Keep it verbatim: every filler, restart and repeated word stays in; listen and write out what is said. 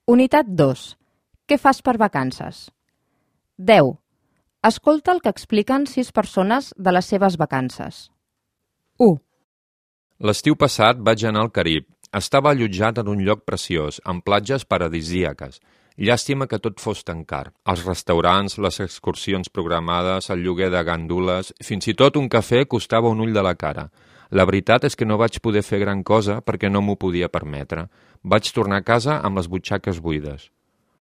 Unitat dos. Què fas per vacances? deu. Escolta el que expliquen sis persones de les seves vacances. u. L'estiu passat vaig anar al Carib. Estava allotjat en un lloc preciós, amb platges paradisíaques. Llàstima que tot fos tan car. Els restaurants, les excursions programades, el lloguer de gandules, fins i tot un cafè costava un ull de la cara. La veritat és que no vaig poder fer gran cosa perquè no m'ho podia permetre. Vaig tornar a casa amb les butxaques buides.